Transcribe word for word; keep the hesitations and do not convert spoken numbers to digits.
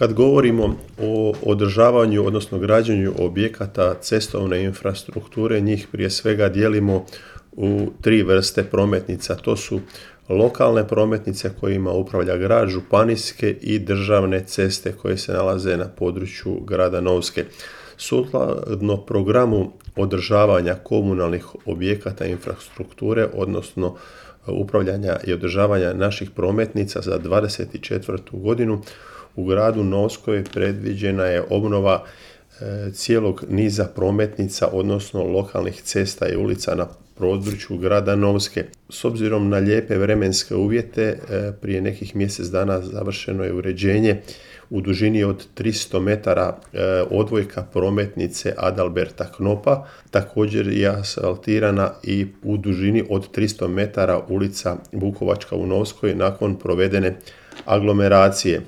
Kad govorimo o održavanju, odnosno građenju objekata cestovne infrastrukture, njih prije svega dijelimo u tri vrste prometnica. To su lokalne prometnice kojima upravlja grad, županijske i državne ceste koje se nalaze na području grada Novske. Sukladno programu održavanja komunalnih objekata infrastrukture, odnosno upravljanja i održavanja naših prometnica za dvadeset četvrtu godinu, u gradu Novskoj predviđena je obnova e, cijelog niza prometnica, odnosno lokalnih cesta i ulica na području grada Novske. S obzirom na lijepe vremenske uvjete, e, prije nekih mjesec dana završeno je uređenje u dužini od tristo metara e, odvojka prometnice Adalberta Knopa. Također je asfaltirana i u dužini od tristo metara ulica Vukovačka u Novskoj nakon provedene aglomeracije.